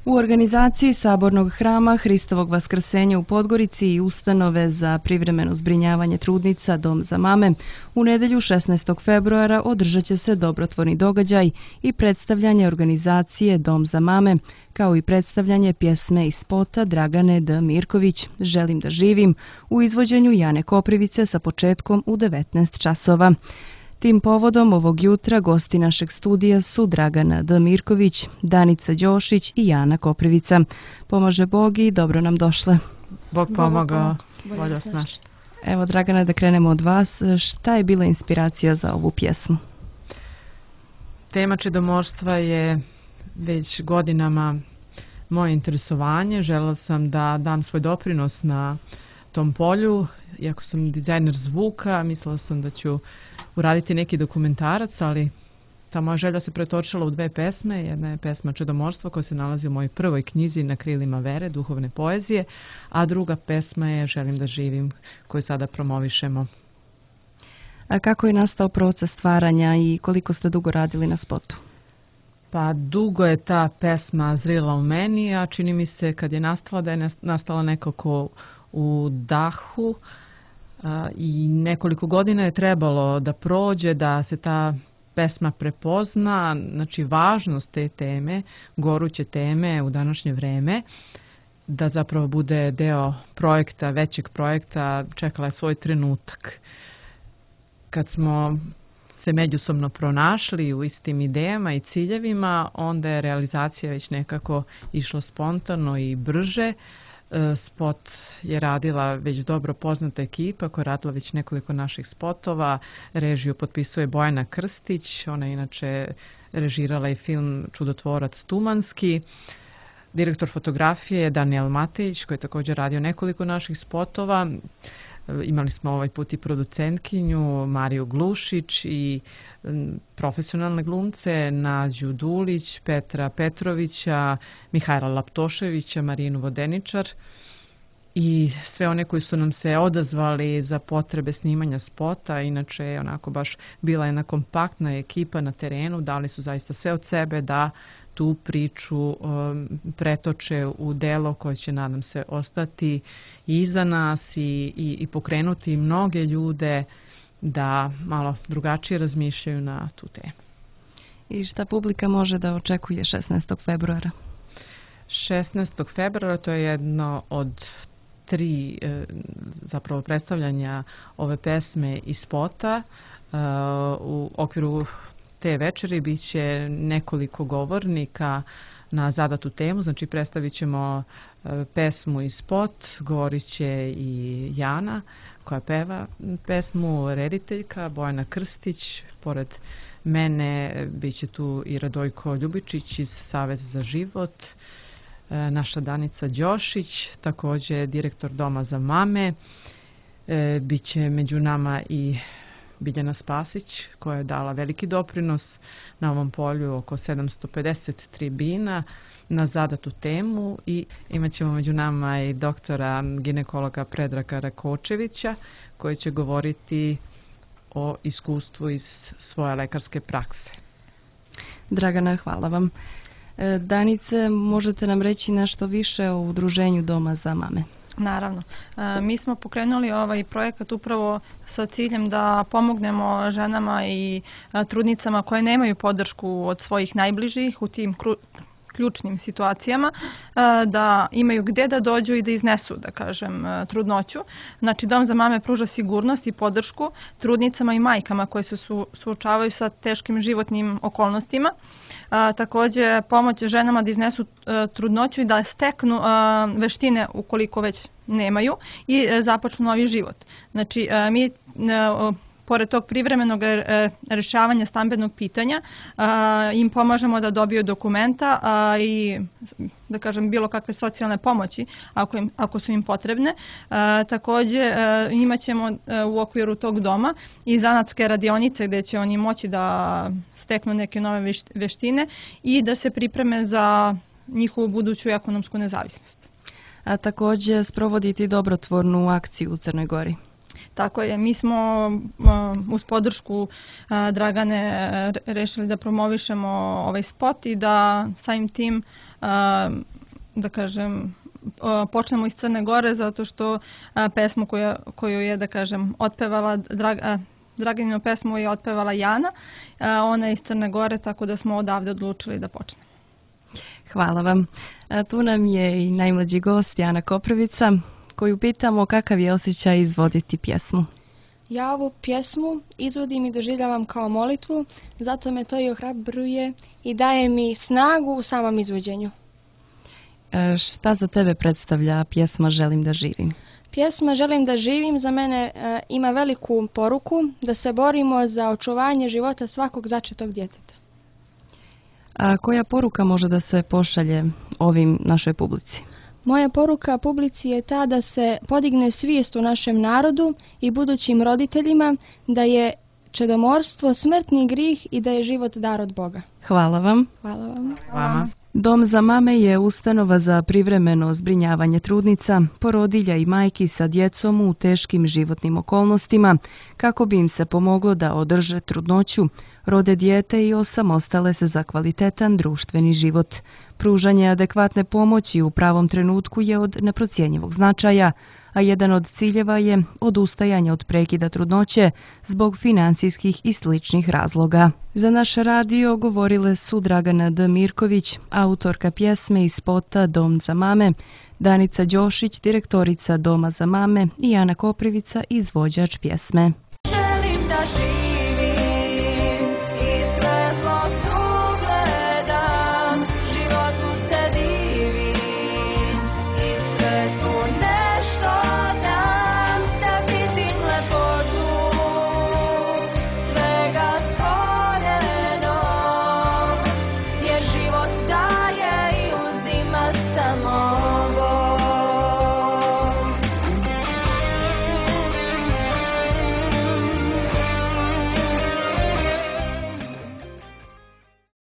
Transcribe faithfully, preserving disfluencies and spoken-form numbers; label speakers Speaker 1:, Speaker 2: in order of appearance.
Speaker 1: U organizaciji Sabornog hrama Hristovog vaskrsenja u Podgorici i ustanove za privremeno zbrinjavanje trudnica Dom za mame u nedelju šesnaestog februara održat će se dobrotvorni događaj i predstavljanje organizacije Dom za mame, kao i predstavljanje pjesme i spota Dragane D. Mirković Želim da živim u izvođenju Jane Koprivice sa početkom u devetnaest časova. Tim povodom ovog jutra gosti našeg studija su Dragana D. Mirković, Danica Đošić i Jana Koprivica. Pomaže Bog i dobro nam došle.
Speaker 2: Bog pomogao, volja snaš.
Speaker 1: Evo, Dragana, da krenemo od vas. Šta je bila inspiracija za ovu pjesmu?
Speaker 2: Tema čedomorstva je već godinama moje interesovanje. Želela sam da dam svoj doprinos na tom polju. Iako sam dizajner zvuka, mislila sam da ću uraditi neki dokumentarac, ali ta moja želja se pretočila u dve pesme. Jedna je pesma Čedomorstvo koja se nalazi u mojoj prvoj knjizi Na krilima vere, duhovne poezije, a druga pesma je Želim da živim koju sada promovišemo.
Speaker 1: A kako je nastao proces stvaranja i koliko ste dugo radili na spotu?
Speaker 2: Pa dugo je ta pesma zrila u meni, a čini mi se kad je nastala da je nastala nekako u dahu. I nekoliko godina je trebalo da prođe, da se ta pesma prepozna, znači važnost te teme, goruće teme u današnje vreme, da zapravo bude deo projekta, većeg projekta, čekala je svoj trenutak. Kad smo se međusobno pronašli u istim idejama i ciljevima, onda je realizacija već nekako išla spontano i brže. Spot je radila već dobro poznata ekipa koja je radila već nekoliko naših spotova. Režiju potpisuje Bojana Krstić, ona je inače režirala i film Čudotvorac Tumanski. Direktor fotografije je Daniel Matejić koji je također radio nekoliko naših spotova. Imali smo ovaj put i producentkinju Mariju Glušić i profesionalne glumce Nađu Dulić, Petra Petrovića, Mihajla Laptoševića, Marinu Vodeničar i sve one koji su nam se odazvali za potrebe snimanja spota. Inače je onako baš bila jedna kompaktna ekipa na terenu, dali su zaista sve od sebe da tu priču um, pretoče u delo koje će, nadam se, ostati iza nas i, i, i pokrenuti mnoge ljude da malo drugačije razmišljaju na tu temu.
Speaker 1: I šta publika može da očekuje šesnaestog februara?
Speaker 2: šesnaestog februara to je jedno od tri e, zapravo predstavljanja ove pesme i spota. E, u okviru te večeri bit će nekoliko govornika na zadatu temu, znači predstavit ćemo e, pesmu i spot, govorit će i Jana koja peva pesmu, rediteljka Bojana Krstić, pored mene bit će tu i Radojko Ljubičić iz Saveza za život, e, naša Danica Đošić, također direktor Doma za mame, e, bit će među nama i Biljana Spasić koja je dala veliki doprinos na ovom polju, oko sedamsto pedeset tribina na zadatu temu, i imat ćemo među nama i doktora ginekologa Predraga Rakočevića koji će govoriti o iskustvu iz svoje lekarske prakse.
Speaker 1: Dragana, hvala vam. Danice, možete nam reći nešto više o udruženju Doma za mame?
Speaker 3: Naravno. Mi smo pokrenuli ovaj projekat upravo sa ciljem da pomognemo ženama i trudnicama koje nemaju podršku od svojih najbližih u tim ključnim situacijama, da imaju gdje da dođu i da iznesu, da kažem, trudnoću. Znači, Dom za mame pruža sigurnost i podršku trudnicama i majkama koje se suočavaju sa teškim životnim okolnostima. A, također pomoć ženama da iznesu a, trudnoću i da steknu a, veštine ukoliko već nemaju i a, započnu novi život. Znači, a, mi a, pored tog privremenog a, rješavanja stambenog pitanja a, im pomažemo da dobiju dokumenta a, i, da kažem, bilo kakve socijalne pomoći ako, im, ako su im potrebne. A, također a, imat ćemo a, u okviru tog doma i zanatske radionice gdje će oni moći da steknu neke nove veštine i da se pripreme za njihovu buduću ekonomsku nezavisnost.
Speaker 1: A također sprovoditi dobrotvornu akciju u Crnoj Gori.
Speaker 3: Tako je, mi smo uh, uz podršku uh, Dragane uh, rešili da promovišemo ovaj spot i da samim tim, uh, da kažem, uh, počnemo iz Crne Gore, zato što uh, pesmu koju, koju je, da kažem, otpevala, Drag, uh, Draganinu pesmu je otpevala Jana, uh, ona je iz Crne Gore, tako da smo odavde odlučili da počnemo.
Speaker 1: Hvala vam. A tu nam je i najmlađi gost Jana Koprivica, koju pitamo kakav je osjećaj izvoditi pjesmu.
Speaker 4: Ja ovu pjesmu izvodim i doživljavam kao molitvu, zato me to i ohrabruje i daje mi snagu u samom izvođenju.
Speaker 1: E, šta za tebe predstavlja pjesma Želim da živim?
Speaker 4: Pjesma Želim da živim za mene e, ima veliku poruku da se borimo za očuvanje života svakog začetog djeteta.
Speaker 1: A koja poruka može da se pošalje ovim našoj publici?
Speaker 4: Moja poruka publici je ta da se podigne svijest u našem narodu i budućim roditeljima da je čedomorstvo smrtni grih i da je život dar od Boga.
Speaker 1: Hvala vam.
Speaker 4: Hvala vam.
Speaker 2: Hvala.
Speaker 1: Dom za mame je ustanova za privremeno zbrinjavanje trudnica, porodilja i majki sa djecom u teškim životnim okolnostima, kako bi im se pomoglo da održe trudnoću, rode dijete i osamostale se za kvalitetan društveni život. Pružanje adekvatne pomoći u pravom trenutku je od neprocjenjivog značaja, a jedan od ciljeva je odustajanje od prekida trudnoće zbog financijskih i sličnih razloga. Za naš radio govorile su Dragana D. Mirković, autorka pjesme i spota Dom za mame, Danica Đošić, direktorica Doma za mame i Jana Koprivica, izvođač pjesme.
Speaker 5: Želim da živim i sve zlo sugledam, životu se divim i sve tu nešto dam, da vidim lepotu svega stvorenog, jer život daje i uzima samo